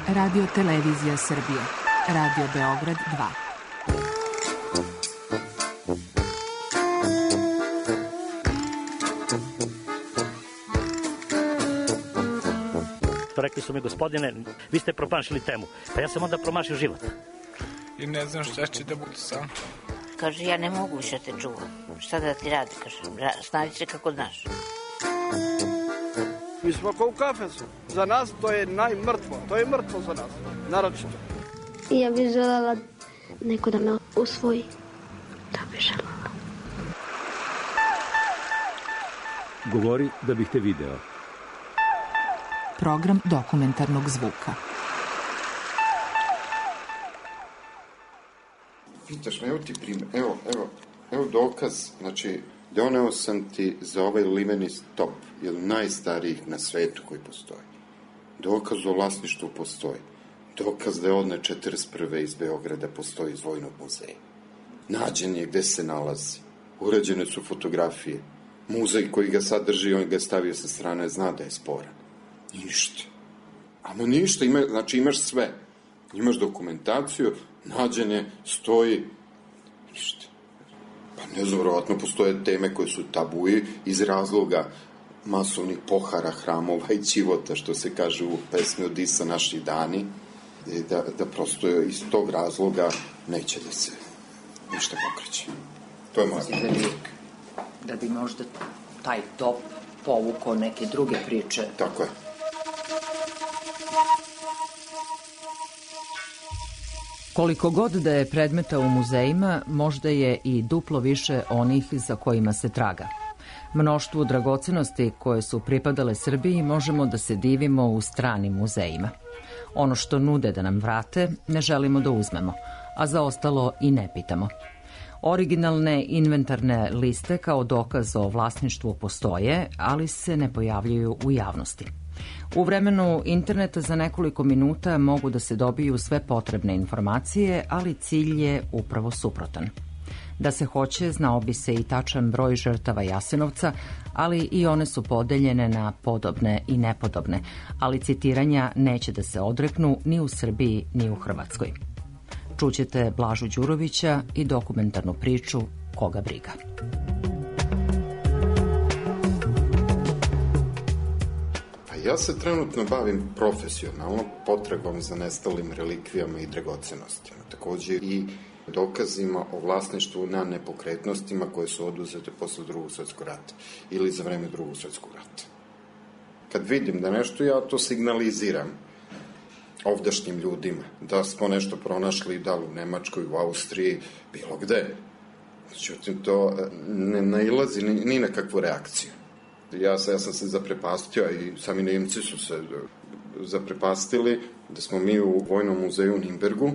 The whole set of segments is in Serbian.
Radio Televizija Srbije. Radio Beograd 2. Rekli su mi, gospodine, vi ste promašili temu. Pa ja sam onda promašio život. I ne znam šta će da bude sam. Kaže, ja ne mogu više te čuvam. Šta da ti radi, kaže, snađi se kako znaš. Mi smo kao u kafesu. Za nas to je najmrtvo. To je mrtvo za nas, naročito. Ja bih želela neko da me usvoji. Da bih želela. Govori da bih te video. Program dokumentarnog zvuka. Pitaš me, evo ti primjer, evo dokaz, znači, doneo sam ti za ovaj limeni top, jedan najstarijih na svetu koji postoji. Dokaz o vlasništvu postoji. Dokaz da je odne 41. iz Beograda postoji iz Vojnog muzeja. Nađen je gde se nalazi. Urađene su fotografije. Muzej koji ga sad drži, on ga je stavio sa strane, zna da je sporan. Ništa. Ama ništa, znači imaš sve. Imaš dokumentaciju, nađenje, stoji, ništa. Pa ne znam, vjerovatno postoje teme koje su tabuji iz razloga masovnih pohara, hramova i ćivota, što se kaže u pesmi Odisa naši dani, da prosto iz tog razloga neće da se ništa pokreće. To je moja politika. Da bi možda taj top povukao neke druge priče. Tako je. Koliko god da je predmeta u muzejima, možda je i duplo više onih za kojima se traga. Mnoštvu dragocenosti koje su pripadale Srbiji možemo da se divimo u stranim muzejima. Ono što nude da nam vrate, ne želimo da uzmemo, a za ostalo i ne pitamo. Originalne inventarne liste kao dokaz o vlasništvu postoje, ali se ne pojavljuju u javnosti. U vremenu interneta za nekoliko minuta mogu da se dobiju sve potrebne informacije, ali cilj je upravo suprotan. Da se hoće, znao bi se i tačan broj žrtava Jasenovca, ali i one su podeljene na podobne i nepodobne, ali citiranja neće da se odreknu ni u Srbiji ni u Hrvatskoj. Čućete Blažu Đurovića i dokumentarnu priču Koga briga. Ja se trenutno bavim profesionalno potragom za nestalim relikvijama i dragocenostima. Također i dokazima o vlasništvu na nepokretnostima koje su oduzete posle Drugog svjetskog rata ili za vreme Drugog svjetskog rata. Kad vidim da nešto, ja to signaliziram ovdašnjim ljudima, da smo nešto pronašli da li u Nemačkoj, u Austriji, bilo gde. Međutim, to ne nailazi ni na kakvu reakciju. Ja sam se zaprepastio i sami Nemci su se zaprepastili da smo mi u Vojnom muzeju u Nimbergu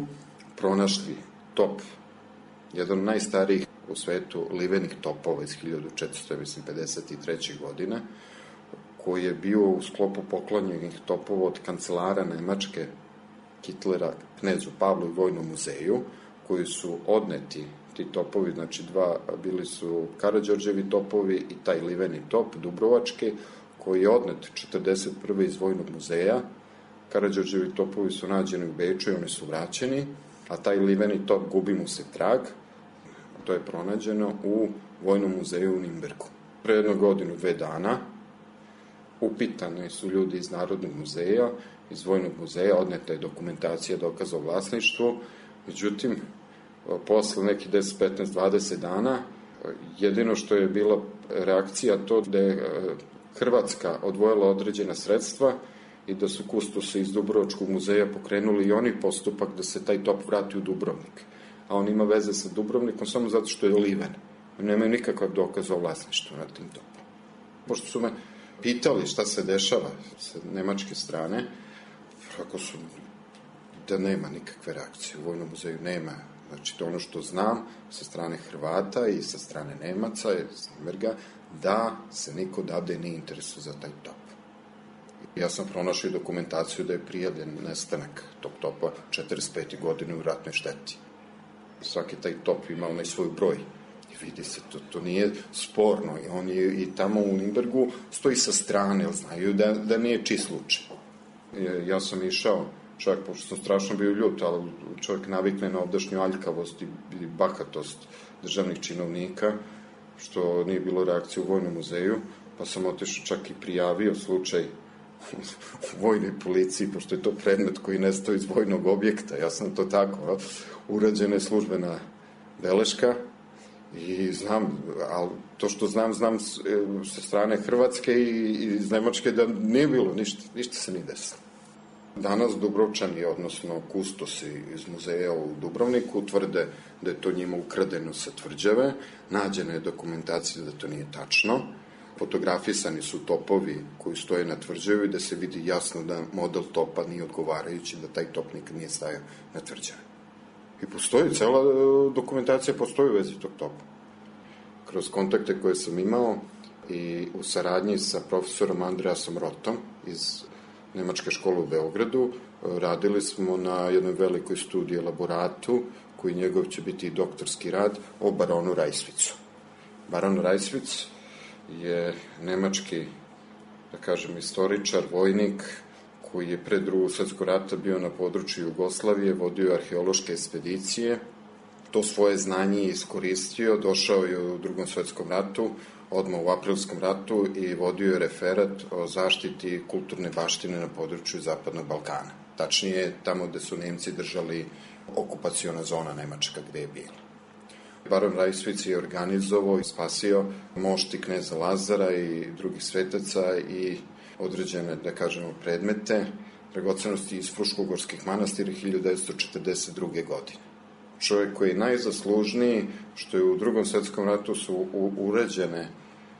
pronašli top, jedan od najstarijih u svetu livenih topova iz 1453. godine, koji je bio u sklopu poklanjenih topova od kancelara Nemačke Hitlera knezu Pavlu i Vojnom muzeju, koji su odneti. Ti topovi, znači bili su Karađorđevi topovi i taj liveni top Dubrovački, koji je odnet 41. iz Vojnog muzeja. Karađorđevi topovi su nađeni u Beču i oni su vraćeni, a taj liveni top gubi mu se trag. To je pronađeno u Vojnom muzeju u Nimbergu. Pre jednu godinu, 2 dana, upitani su ljudi iz Narodnog muzeja, iz Vojnog muzeja, odneta je dokumentacija dokaza o vlasništvu, međutim, posle nekih 10, 15, 20 dana, jedino što je bila reakcija to da je Hrvatska odvojila određena sredstva i da su kustosi iz Dubrovačkog muzeja pokrenuli i oni postupak da se taj top vrati u Dubrovnik. A on ima veze sa Dubrovnikom samo zato što je liven. Nemaju nikakav dokaz o vlasništvu na tim topom. Pošto su me pitali šta se dešava sa nemačke strane, ako su da nema nikakve reakcije u Vojnom muzeju, nema. Znači, to ono što znam sa strane Hrvata i sa strane Nemaca, iz Nimberga, da se niko dade nije interesuje za taj top. Ja sam pronašao dokumentaciju da je prijavljen nestanak tog topa 45. godine u ratnoj šteti. Svaki taj top ima onaj svoj broj. I vidi se, to nije sporno. I on je i tamo u Nimbergu stoji sa strane, jer znaju da nije čist slučaj. Ja sam išao čak, pošto sam strašno bio ljut, ali čovjek navikne na ovdašnju aljkavost i bahatost državnih činovnika, što nije bilo reakcije u Vojnom muzeju, pa sam otišao čak i prijavio slučaj u vojnoj policiji, pošto je to predmet koji nestao iz vojnog objekta. Ja sam to tako, urađena je službena beleška i znam, ali to što znam sa strane Hrvatske i iz Nemačke da nije bilo ništa se nije desilo. Danas Dubrovčani, odnosno kustosi iz muzeja u Dubrovniku, tvrde da je to njima ukradeno sa tvrđave, nađena je dokumentacija da to nije tačno, fotografisani su topovi koji stoje na tvrđavi, da se vidi jasno da model topa nije odgovarajući, da taj top nikad nije stajao na tvrđavi. I postoji, cela dokumentacija postoji u vezi tog topa. Kroz kontakte koje sam imao i u saradnji sa profesorom Andreasom Rotom iz Nemačke škole u Beogradu, radili smo na jednoj velikoj studiji elaboratu, koji njegov će biti i doktorski rad, o baronu Rajsvicu. Baron Rajsvic je nemački, da kažem, istoričar, vojnik, koji je pre Drugog svjetskog rata bio na području Jugoslavije, vodio arheološke ekspedicije, to svoje znanje iskoristio, došao je u Drugom svjetskom ratu, odmah u Aprilskom ratu i vodio je referat o zaštiti kulturne baštine na području Zapadnog Balkana. Tačnije, tamo gde su Nemci držali okupaciona zona Nemačka gde je bila. Baron Rajsvic je organizovao i spasio mošti kneza Lazara i drugih svetaca i određene, da kažemo, predmete, dragocenosti iz Fruškogorskih manastira 1942. godine. Čovjek koji je najzaslužniji, što je u Drugom svjetskom ratu su uređene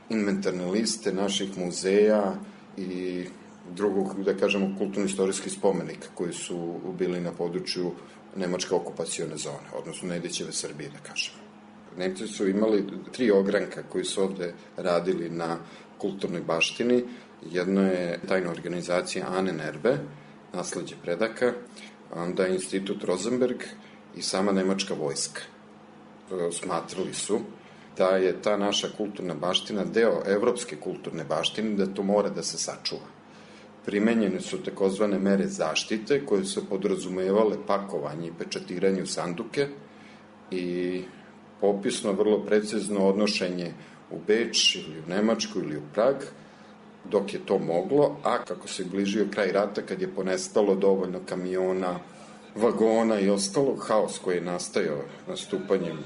inventarne liste naših muzeja i drugog, da kažemo, kulturno-istorijskih spomenika koji su bili na području Nemačke okupacione zone, odnosno Nedićeve Srbije, da kažemo. Nemci su imali 3 ogranka koji su ovde radili na kulturnoj baštini. Jedno je tajna organizacija Ahnenerbe, nasleđe predaka, onda Institut Rosenberg i sama nemačka vojska. Smatrali su da je ta naša kulturna baština deo evropske kulturne baštine, da to mora da se sačuva. Primenjene su takozvane mere zaštite koje su podrazumevale pakovanje i pečatiranje u sanduke i popisno, vrlo precizno odnošenje u Beč ili u Nemačku ili u Prag, dok je to moglo, a kako se bližio kraj rata, kad je ponestalo dovoljno kamiona, vagona i ostalo, haos koji je nastajao nastupanjem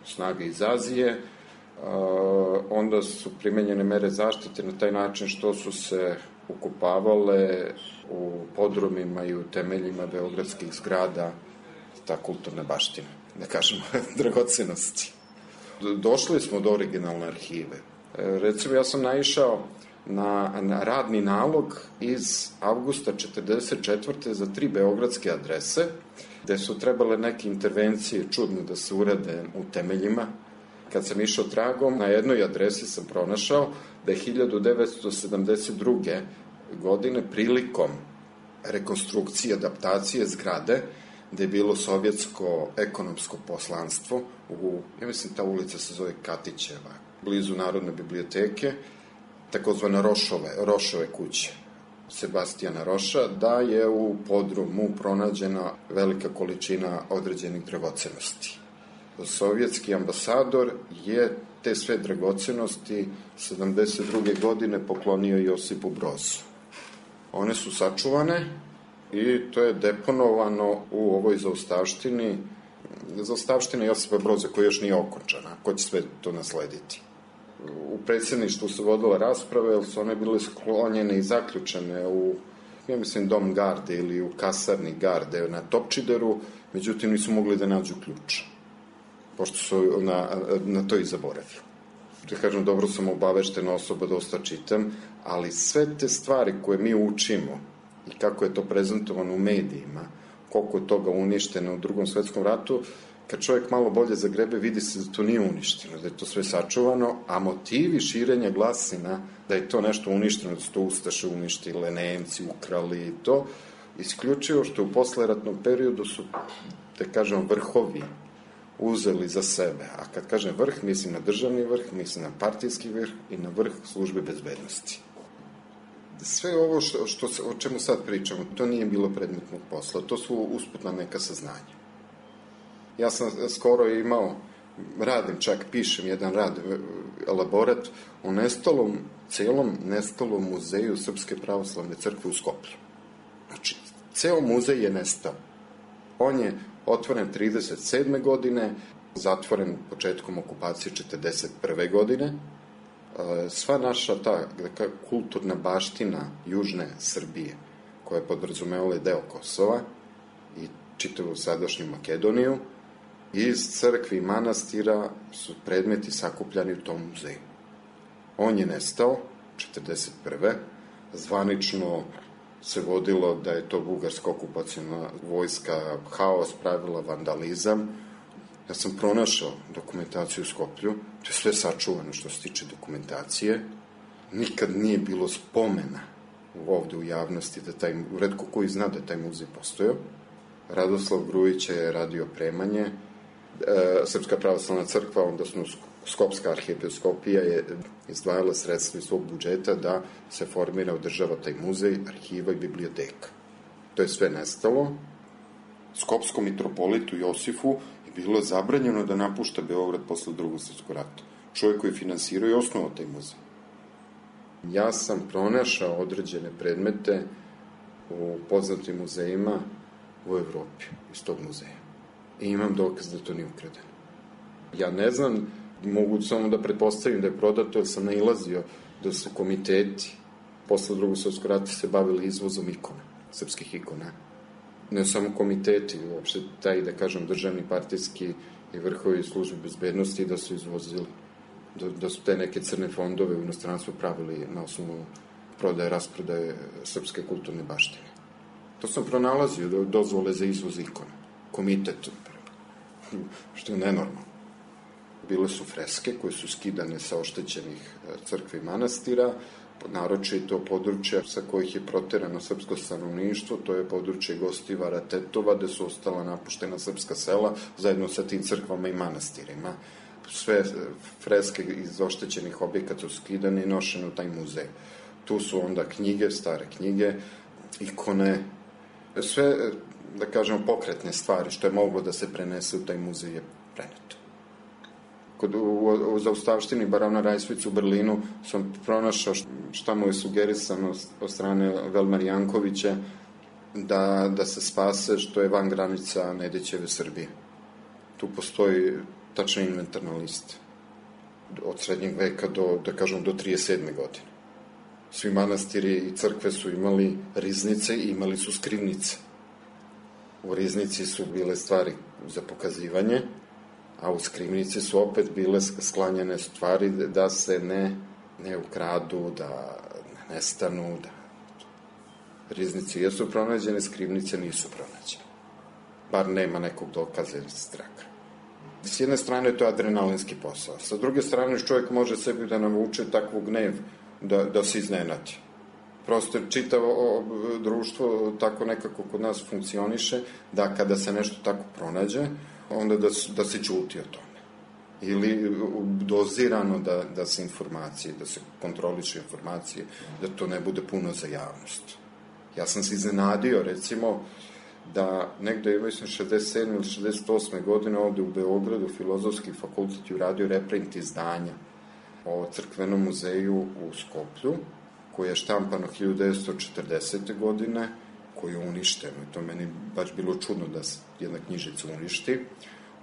snaga iz Azije, onda su primenjene mere zaštite na taj način što su se ukopavale u podrumima i u temeljima beogradskih zgrada ta kulturna baština, da kažemo, dragocenosti. Došli smo do originalne arhive. Recimo, ja sam naišao na radni nalog iz avgusta 1944. za 3 beogradske adrese, gde su trebale neke intervencije čudno da se urade u temeljima. Kad sam išao tragom, na jednoj adresi sam pronašao da je 1972. godine prilikom rekonstrukcije, adaptacije zgrade, gde je bilo sovjetsko ekonomsko poslanstvo, ja mislim ta ulica se zove Katićeva, blizu Narodne biblioteke, takozvana Rošove kuće, Sebastijana Roša, da je u podrumu pronađena velika količina određenih dragocenosti. Sovjetski ambasador je te sve dragocenosti 72. godine poklonio Josipu Brozu. One su sačuvane i to je deponovano u ovoj zaostavštini Josipa Broza, koja još nije okončana. Ko će sve to naslediti? U predsjedništvu se vodila rasprava, jer su one bile sklonjene i zaključene u, ja mislim, dom garde ili u kasarni garde na Topčideru, međutim nisu mogli da nađu ključ, pošto su na to i zaboravili. Da kažem, dobro sam obaveštena osoba, dosta čitam, ali sve te stvari koje mi učimo i kako je to prezentovano u medijima, koliko je toga uništeno u Drugom svetskom ratu, kad čovjek malo bolje zagrebe, vidi se da to nije uništeno, da je to sve sačuvano, a motivi širenja glasina da je to nešto uništeno, da su to Ustaše uništile, Nemci ukrali i to, isključivo što u posleratnom periodu su, da kažem, vrhovi uzeli za sebe. A kad kažem vrh, mislim na državni vrh, mislim na partijski vrh i na vrh službe bezbednosti. Sve ovo o čemu sad pričamo, to nije bilo predmetnog posla, to su usputna neka saznanja. Ja sam skoro imao, pišem jedan rad, elaborat o celom nestalom muzeju Srpske pravoslavne crkve u Skoplju. Znači, ceo muzej je nestao. On je otvoren 37. godine, zatvoren početkom okupacije 41. godine. Sva naša ta kulturna baština južne Srbije, koja je podrazumevala deo Kosova i čitavu sadašnju Makedoniju, iz crkvi i manastira su predmeti sakupljani u tom muzeju. On je nestao 41. Zvanično se vodilo da je to bugarska okupacijna vojska haos pravila, vandalizam. Ja sam pronašao dokumentaciju u Skoplju, to je sve sačuvano što se tiče dokumentacije. Nikad nije bilo spomena ovde u javnosti da retko koji zna da taj muzej postojao. Radoslav Grujić je radio opremanje, Srpska pravoslavna crkva, odnosno Skopska arhiepiskopija je izdvajala sredstva iz svog budžeta da se formira, održava taj muzej, arhiva i biblioteka. To je sve nestalo. Skopskom mitropolitu Josifu je bilo zabranjeno da napušta Beograd posle Drugog svjetskog rata. Čovjek koji je finansirao i osnovao taj muzej. Ja sam pronašao određene predmete u poznatim muzejima u Evropi, iz tog muzeja. I imam dokaz da to nije ukradeno. Ja ne znam, mogu samo da pretpostavim da je prodato, jer sam nailazio da su komiteti posle Drugog svjetskog rata se bavili izvozom ikona, srpskih ikona. Ne samo komiteti, uopšte taj, da kažem, državni, partijski i vrhovi službe bezbednosti da su izvozili, da su te neke crne fondove u inostranstvu pravili na osnovu prodaje, rasprodaje srpske kulturne baštine. To sam pronalazio, dozvole za izvoz ikona, komitet, što je nenormalno. Bile su freske koje su skidane sa oštećenih crkvi i manastira, naročito područja sa kojih je proterano srpsko stanovništvo, to je područje Gostivara, Tetova, gde su ostala napuštena srpska sela, zajedno sa tim crkvama i manastirima. Sve freske iz oštećenih objekata su skidane i nošene u taj muzej. Tu su onda knjige, stare knjige, ikone, sve, da kažemo, pokretne stvari, što je moglo da se prenese u taj muzej je preneto. U zaustavštini barona Rajsvica u Berlinu sam pronašao šta mu je sugerisano od strane Velmar Jankovića da se spase, što je van granica Nedićeve Srbije. Tu postoji tačna inventarna lista. Od srednjeg veka do 37. godine. Svi manastiri i crkve su imali riznice i imali su skrivnice. U riznici su bile stvari za pokazivanje, a u skrivnici su opet bile sklanjane stvari da se ne ukradu, da ne nestanu, da riznici jesu pronađene, skrivnice nisu pronađene. Bar nema nekog dokaza ili straka. S jedne strane to je adrenalinski posao, sa druge strane čovjek može sebi da navuče takvu gnev da se iznenati. Prosto čitavo društvo tako nekako kod nas funkcioniše, da kada se nešto tako pronađe, onda da se ćuti o tome. Ili dozirano da se informacije, da se kontroliše informacije, da to ne bude puno za javnost. Ja sam se iznenadio, recimo, da negde, mislim, 67. ili 68. godine ovde u Beogradu Filozofski fakultet je uradio reprint izdanja o crkvenom muzeju u Skoplju, koji je štampano 1940. godine, koji je uništen. To meni baš bilo čudno da se jedna knjižica uništi.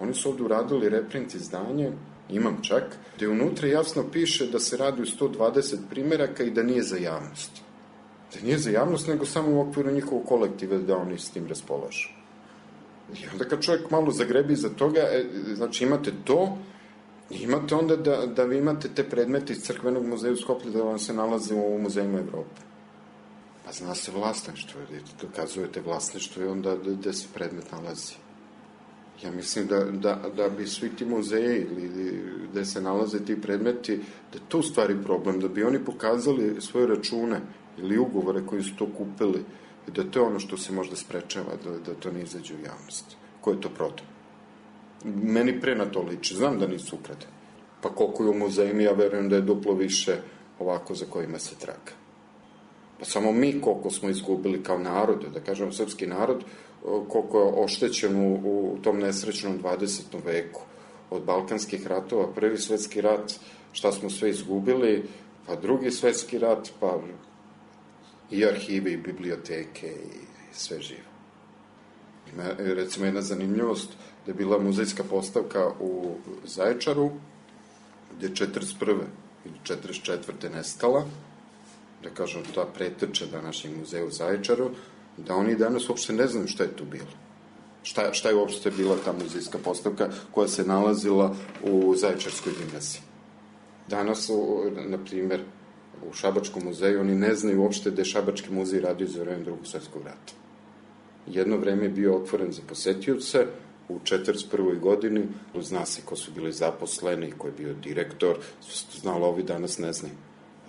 Oni su ovde uradili reprint izdanje, imam čak, gde unutra jasno piše da se radi u 120 primeraka i da nije za javnost. Da nije za javnost, nego samo u okviru njihovog kolektiva da oni s tim raspolažu. I onda kad čovjek malo zagrebi za toga, znači imate to, i imate onda da vi imate te predmete iz crkvenog muzeja u Skoplju da vam se nalaze u muzejima Evrope. Pa zna se vlasništvo, dokazujete vlasništvo i onda gde se predmet nalazi. Ja mislim da bi svi ti muzeji ili gde se nalaze ti predmeti, da je to u stvari problem, da bi oni pokazali svoje račune ili ugovore koji su to kupili i da to je ono što se možda sprečava, da to ne izađe u javnost. Ko je to prodao? Meni pre na to liči, znam da nisu ukradeni. Pa koliko je u muzejima, ja verujem da je duplo više ovako za kojima se traga. Pa samo mi koliko smo izgubili kao narod, da kažem srpski narod, koliko je oštećen u tom nesrećnom 20. veku. Od Balkanskih ratova, Prvi svetski rat, šta smo sve izgubili, pa Drugi svetski rat, pa i arhive i biblioteke i sve živo. Ima, recimo, jedna zanimljivost, da je bila muzejska postavka u Zaječaru, gde je 41. ili 44. nestala, da kažem, ta pretrča današnjeg muzeja u Zaječaru, da oni danas uopšte ne znaju šta je tu bilo. Šta je uopšte bila ta muzejska postavka koja se nalazila u Zaječarskoj gimnaziji. Danas, na primer, u Šabačkom muzeju oni ne znaju uopšte da je Šabački muzej radio za vreme Drugog svetskog rata. Jedno vreme je bio otvoren za posetioce, u 41. godini, zna se ko su bili zaposleni, ko je bio direktor, znalo, ovi danas ne znaju.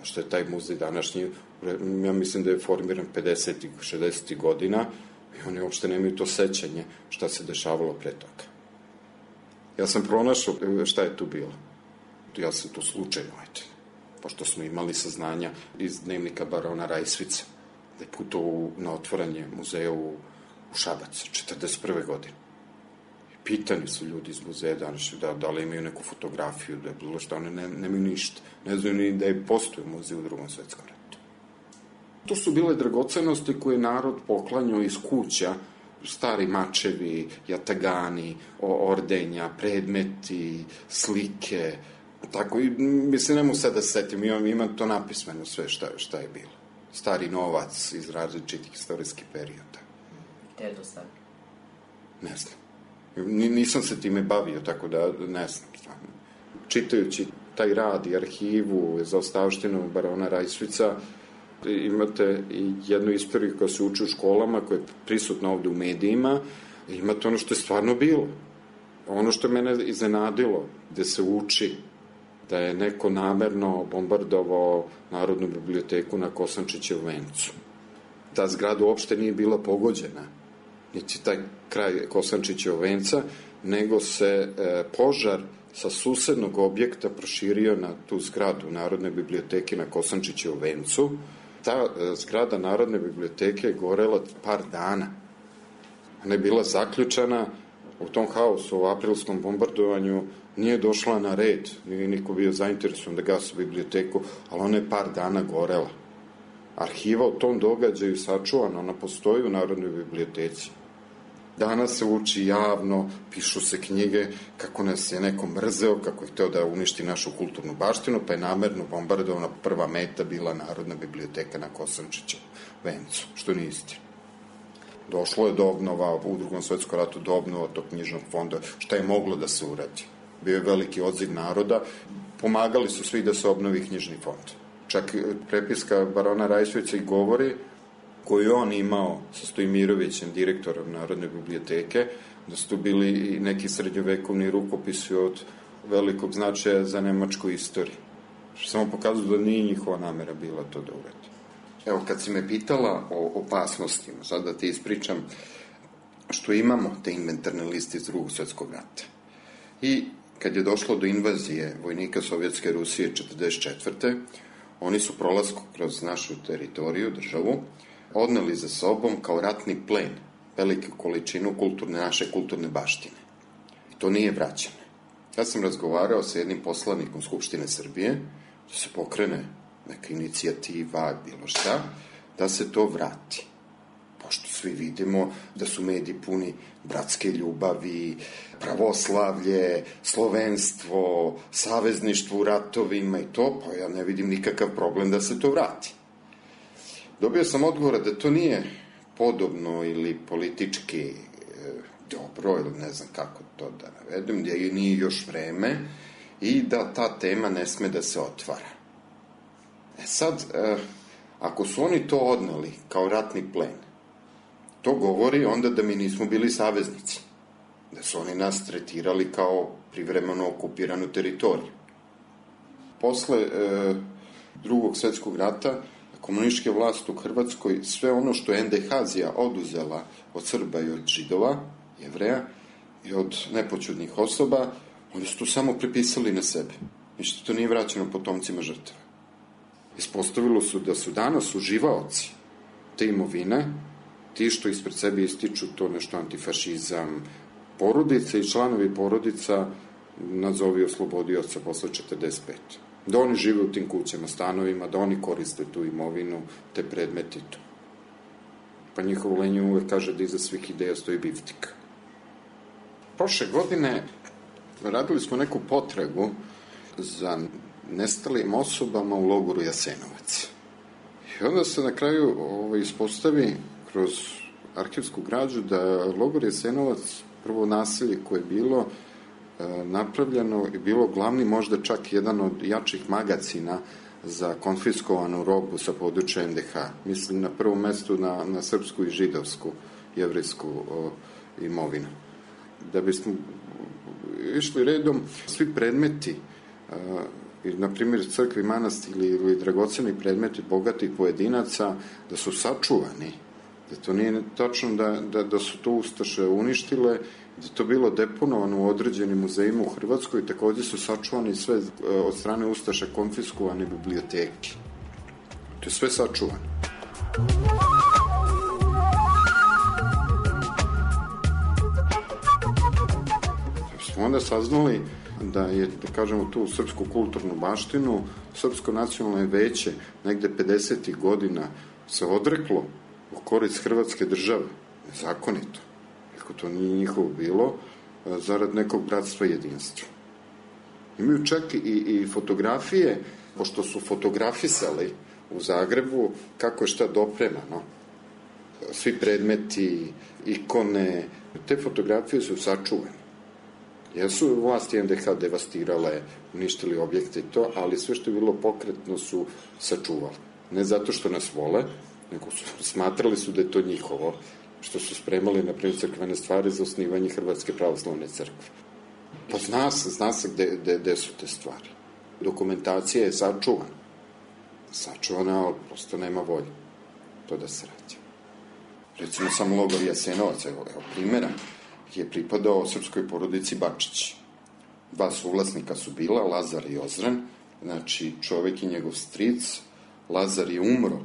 A što je taj muzej današnji, ja mislim da je formiran 50. 60. godina i oni uopšte nemaju to sećanje šta se dešavalo pre toga. Ja sam pronašao šta je tu bilo. Ja sam to slučajno, pošto smo imali saznanja iz dnevnika barona Rajsvica, da je putovao na otvaranje muzeja u Šabac, 41. godine. Pitani su ljudi iz muzeja danas da li imaju neku fotografiju, da je bilo šta, oni nemaju ništa. Ne znaju ni da je postoji muzej u Drugom svetskom ratu. To su bile dragocenosti koje narod poklanjao iz kuća, stari mačevi, jatagani, ordenja, predmeti, slike, tako, i mislim, ne mogu sad da se setim, imam to napismeno sve šta je bilo. Stari novac iz različitih istorijskih perioda. Gde je to sad? Ne znam. Nisam se time bavio, tako da ne znam. Čitajući taj rad i arhivu za ostavštinu barona Rajsvica, imate i jednu istoriju koja se uči u školama, koja je prisutna ovde u medijima, imate ono što je stvarno bilo. Ono što je mene iznenadilo, gde se uči da je neko namerno bombardovao Narodnu biblioteku na Kosančićevu vencu. Ta zgrada uopšte nije bila pogođena, niti taj kraj Kosančićevog venca, nego se požar sa susednog objekta proširio na tu zgradu Narodne biblioteke na Kosančićevom vencu. Ta zgrada Narodne biblioteke je gorela par dana. Ona je bila zaključana u tom haosu, u aprilskom bombardovanju, nije došla na red, nije niko bio zainteresovan da gasi biblioteku, ali ona je par dana gorela. Arhiva o tom događaju sačuvana, ona postoji u Narodnoj biblioteci. Danas se uči javno, pišu se knjige kako nas je neko mrzeo, kako je hteo da uništi našu kulturnu baštinu, pa je namerno bombardovana, prva meta bila Narodna biblioteka na Kosančićevom vencu, što nije istina. Došlo je do obnova, u Drugom svetskom ratu do obnova tog knjižnog fonda, šta je moglo da se uradi. Bio je veliki odziv naroda, pomagali su svi da se obnovi knjižni fond. Čak prepiska barona Rajsvića i govori, koju on imao sa Stojmirovićem, direktorom Narodne biblioteke, da su tu bili i neki srednjovekovni rukopisi od velikog značaja za nemačku istoriju. Što samo pokazuje da nije njihova namera bila to da uradi. Evo, kad si me pitala o opasnostima, sad da ti ispričam što imamo te inventarne liste iz Drugog svetskog rata. I kad je došlo do invazije vojnika Sovjetske Rusije 1944. Oni su prolaskom kroz našu teritoriju, državu, odneli za sobom kao ratni plen veliku količinu naše kulturne baštine. I to nije vraćeno. Ja sam razgovarao sa jednim poslanikom Skupštine Srbije, da se pokrene neka inicijativa, bilo šta, da se to vrati. Pošto svi vidimo da su mediji puni bratske ljubavi, pravoslavlje, slovenstvo, savezništvo u ratovima i to, pa ja ne vidim nikakav problem da se to vrati. Dobio sam odgovor da to nije podobno ili politički dobro, ili ne znam kako to da navedem, da nije još vreme i da ta tema ne sme da se otvara. Sad, ako su oni to odneli kao ratni plen, to govori onda da mi nismo bili saveznici, da su oni nas tretirali kao privremeno okupiranu teritoriju. Posle Drugog svetskog rata, komunističke vlasti u Hrvatskoj, sve ono što je NDH-zija oduzela od Srba i od Židova, Jevreja i od nepoćudnih osoba, oni su to samo prepisali na sebe. Ništa to nije vraćeno potomcima žrtava. Ispostavilo su da su danas uživaoci te imovine, ti što ispred sebe ističu to nešto antifašizam, porodice i članovi porodica, nazovi oslobodioca posle 45. Da oni žive u tim kućama, stanovima, da oni koriste tu imovinu, te predmeti tu. Pa njihovo lenje uvek kaže da iza svih ideja stoji biftika. Prošle godine radili smo neku potragu za nestalim osobama u logoru Jasenovac. I onda se na kraju ispostavi kroz arhivsku građu da logor Jasenovac, prvo naselje koje je bilo napravljeno, je bilo glavni, možda čak jedan od jačih magacina za konfiskovanu robu sa područja NDH. Mislim na prvom mestu na srpsku i židovsku, jevrijsku imovinu. Da bismo išli redom, svi predmeti, na primjer crkvi, manastiri ili dragoceni predmeti bogatih pojedinaca, da su sačuvani, da to nije tačno da su to ustaše uništile, da je to bilo deponovano u određenim muzejima u Hrvatskoj, takođe su sačuvani sve od strane ustaša konfiskovane biblioteke. To je sve sačuvano. Smo onda saznali da je, da kažemo, tu srpsku kulturnu baštinu, Srpsko nacionalno veće negde 50. godina se odreklo u korist Hrvatske države, nezakonito, ako to nije njihovo bilo, zarad nekog bratstva i jedinstva. Imaju čak i fotografije, pošto su fotografisali u Zagrebu kako je šta dopremano. Svi predmeti, ikone, te fotografije su sačuvane. Jesu vlasti NDH devastirale, uništili objekte i to, ali sve što je bilo pokretno su sačuvali. Ne zato što nas vole, nego smatrali su da je to njihovo, što su spremali, na primjer, crkvene stvari za osnivanje Hrvatske pravoslavne crkve. Pa zna se gde su te stvari. Dokumentacija je sačuvana. Sačuvana, ali prosto nema volje to da se radi. Recimo, sam logor Jasenovac, evo primjera, je pripadao srpskoj porodici Bačić. Dva suvlasnika su bila, Lazar i Ozren, znači čovek i njegov stric. Lazar je umro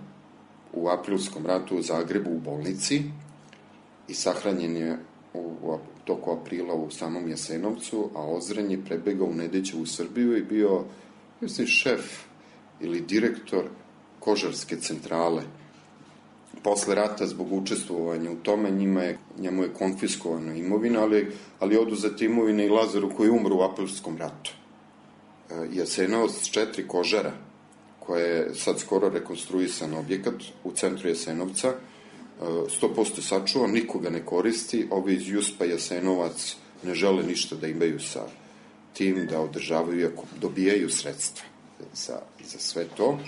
u aprilskom ratu u Zagrebu u bolnici i sahranjen je u toku aprila u samom Jasenovcu, a Ozren je prebegao u Nedićevu Srbiju i bio, mislim, šef ili direktor kožarske centrale. Posle rata, zbog učestvovanja u tome, njemu je konfiskovana imovina, ali oduzeta imovina i Lazaru koji umro u aprilskom ratu. Jasenovac 4 kožara, koja je sad skoro rekonstruisan objekat u centru Jasenovca, 100% sačuvan, nikoga ne koristi, ovi iz Juspa Jasenovac ne žele ništa da imaju sa tim, da održavaju, iako dobijaju sredstva za sve to,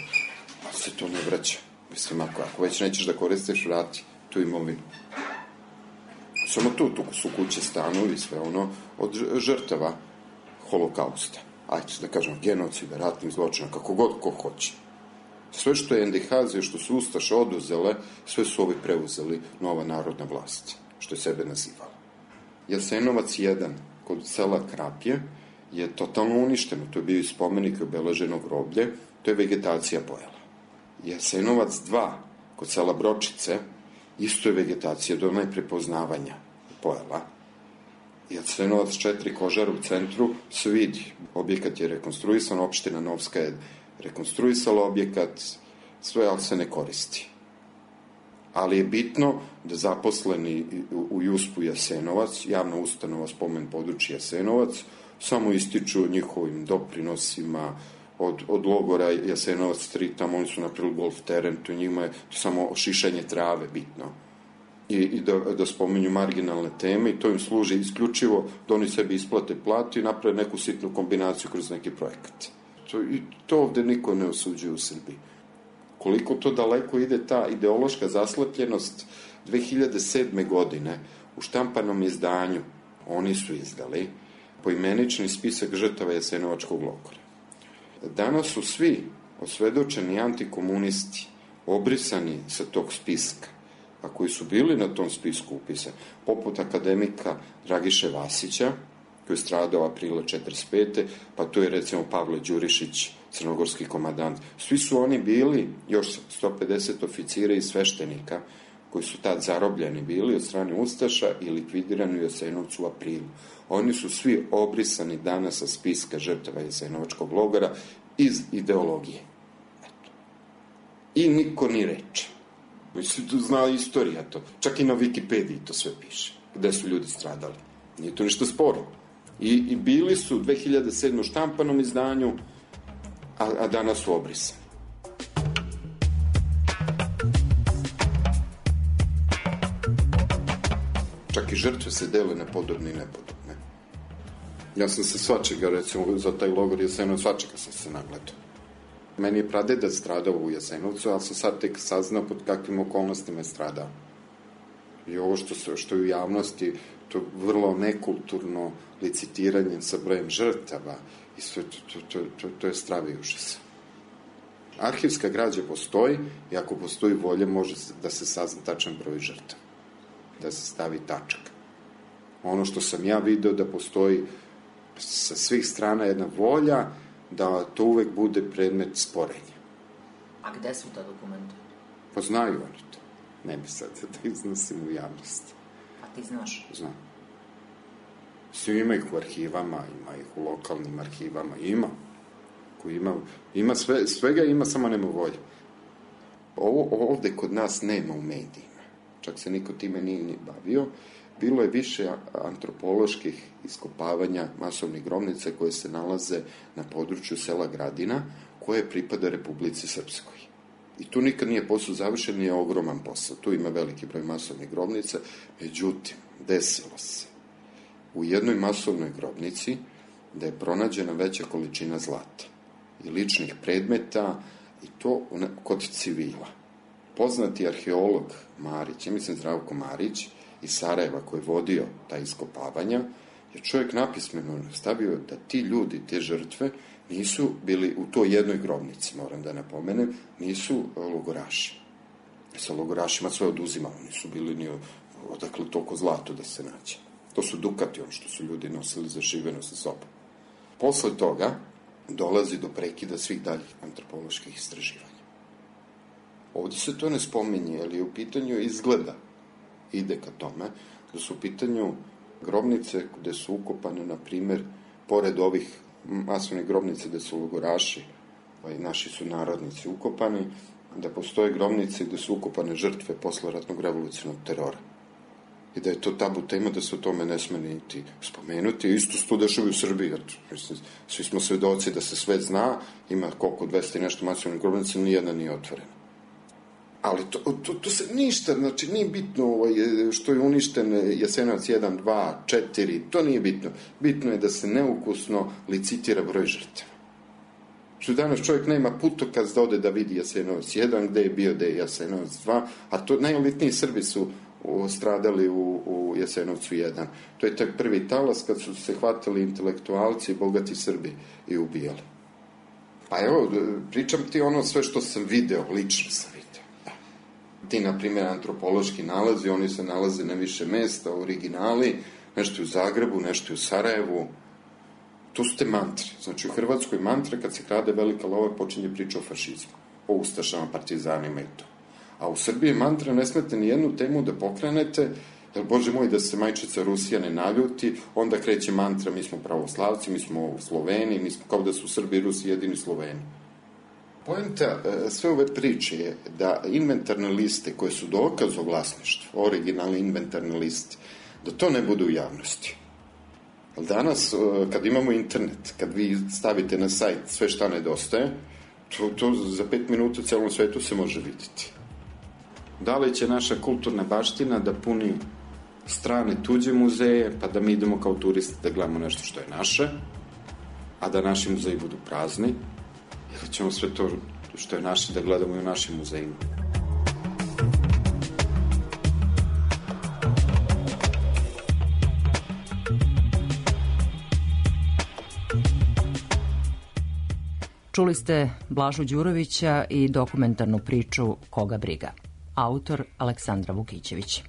a se to ne vraća. Mislim, ako već nećeš da koristiš, vrati tu imovinu. Samo tu su kuće, stanovi, sve ono, od žrtava holokausta. Ajde, da kažem, genocida, ratnih zločina, kako god ko hoće. Sve što je NDH, što su ustaše oduzele, sve su ovi preuzeli, nova narodna vlast, što je sebe nazivala. Jasenovac 1, kod sela Krapje, je totalno uništeno. To je bio i spomenik obeleženo groblje, to je vegetacija pojela. Jasenovac 2, kod sela Bročice, isto je vegetacija do najprepoznavanja pojela. Jasenovac 4, Kožar u centru, se vidi. Objekat je rekonstruisan, opština Novska je rekonstruisala objekat, sve, ali se ne koristi. Ali je bitno da zaposleni u Juspu Jasenovac, javna ustanova spomen područja Jasenovac, samo ističu njihovim doprinosima od logora Jasenovac 3, tamo oni su napravili golf teren, to njima je samo šišanje trave bitno. I da spominju marginalne teme i to im služi isključivo da oni sebi isplate platu i naprave neku sitnu kombinaciju kroz neki projekat. I to ovde niko ne osuđuje u Srbiji. Koliko to daleko ide ta ideološka zaslepljenost, 2007. godine u štampanom izdanju oni su izdali poimenični spisak žrtava Jasenovačkog logora. Danas su svi osvedočeni antikomunisti obrisani sa tog spiska, a koji su bili na tom spisku upisani, poput akademika Dragiše Vasića, tu je stradao aprila 1945. Pa tu je recimo Pavle Đurišić, crnogorski komandant. Svi su oni bili, još 150 oficira i sveštenika, koji su tad zarobljeni bili od strane Ustaša i likvidirani u Jasenovcu u aprilu. Oni su svi obrisani danas sa spiska žrtava Jasenovačkog logora iz ideologije. Eto. I niko ni reče. Mislim, tu zna istorija to. Čak i na Wikipediji to sve piše. Gde su ljudi stradali. Nije to ništa sporo. I bili su 2007. u štampanom izdanju, a danas su obrisani. Čak i žrtve se dele na podobne i nepodobne. Ja sam se svačega, recimo, za taj logor Jasenovac, svačega sam se nagledao. Meni je pradeda stradao u Jasenovcu, ali sam sad tek saznao pod kakvim okolnostima je stradao. I ovo što je u javnosti, to vrlo nekulturno licitiranje sa brojem žrtava i sve to je stravi užas. Arhivska građa postoji i ako postoji volja može da se sazna tačan broj žrtava, da se stavi tačak. Ono što sam ja video da postoji sa svih strana jedna volja da to uvek bude predmet sporenja. A gde su ta dokumenta? Pa znaju oni to. Ne bi sad da iznosim u javnost. A ti znaš? Znam. Svi ima ih u arhivama, ima ih u lokalnim arhivama, ima svega ima, samo nema volje. Ovo ovde kod nas nema u medijima. Čak se niko time nije ni bavio. Bilo je više antropoloških iskopavanja masovnih grobnica koje se nalaze na području sela Gradina, koje pripada Republici Srpskoj. I tu nikad nije posao završen, nije ogroman posao. Tu ima veliki broj masovnih grobnica. Međutim, desilo se u jednoj masovnoj grobnici da je pronađena veća količina zlata i ličnih predmeta i to kod civila. Poznati arheolog Marić, ja mislim Zdravko Marić, iz Sarajeva koji je vodio ta iskopavanja, je čovjek napismeno stavio da ti ljudi, te žrtve, nisu bili u toj jednoj grobnici, moram da napomenem, nisu logoraši. Sa logorašima sve oduzimalo, nisu bili ni odakle toliko zlato da se nađe. To su dukati, ono što su ljudi nosili za šiveno sa sobom. Posle toga dolazi do prekida svih daljih antropoloških istraživanja. Ovde se to ne spominje, ali u pitanju izgleda ide ka tome, da su u pitanju grobnice gde su ukopane, na primer, pored ovih masovnih grobnice gde su logoraši, naši su narodnici ukopani, da postoje grobnice gde su ukopane žrtve posleratnog revolucionarnog terora. I da je to tabu tema, da se o tome ne sme niti spomenuti. Isto se to dešava u Srbiji. Svi smo svedoci da se sve zna, ima koliko 200 i nešto masovnih grobnica, nijedna nije otvorena. Ali to se ništa, znači nije bitno što je uništen Jasenovac 1, 2, 4, to nije bitno. Bitno je da se neukusno licitira broj žrtava. Što danas čovjek nema putokaz da ode da vidi Jasenovac 1, gde je bio, gde je Jasenovac 2, a to najelitniji Srbi su stradali u Jasenovcu 1. To je tak prvi talas kad su se hvatali intelektualci i bogati Srbi i ubijali. Pa evo, pričam ti ono sve što sam video, lično sam video. Ti, na primjer, antropološki nalazi, oni se nalaze na više mesta, originali, nešto u Zagrebu, nešto u Sarajevu. To su te mantre. Znači, u Hrvatskoj mantre, kad se krade velika lova, počinje priča o fašizmu, o ustašama, partizanima i to. A u Srbiji mantra ne smete ni jednu temu da pokrenete, jer, Bože moj, da se majčica Rusija ne naljuti, onda kreće mantra, mi smo pravoslavci, mi smo Sloveni, mi smo kao da su Srbi i Rusi jedini Sloveni. Poenta sve ove priče je da inventarne liste koje su dokaz o vlasništvu, originalne inventarne liste, da to ne bude u javnosti. Ali danas, kad imamo internet, kad vi stavite na sajt sve šta nedostaje, to za 5 minuta u celom svetu se može vidjeti. Da li će naša kulturna baština da puni strane tuđe muzeje, pa da mi idemo kao turisti da gledamo nešto što je naše, a da naši muzeji budu prazni, ili ćemo sve to što je naše da gledamo i u našim muzejima. Čuli ste Blažu Đurovića i dokumentarnu priču Koga briga. Autor Aleksandra Vukićević.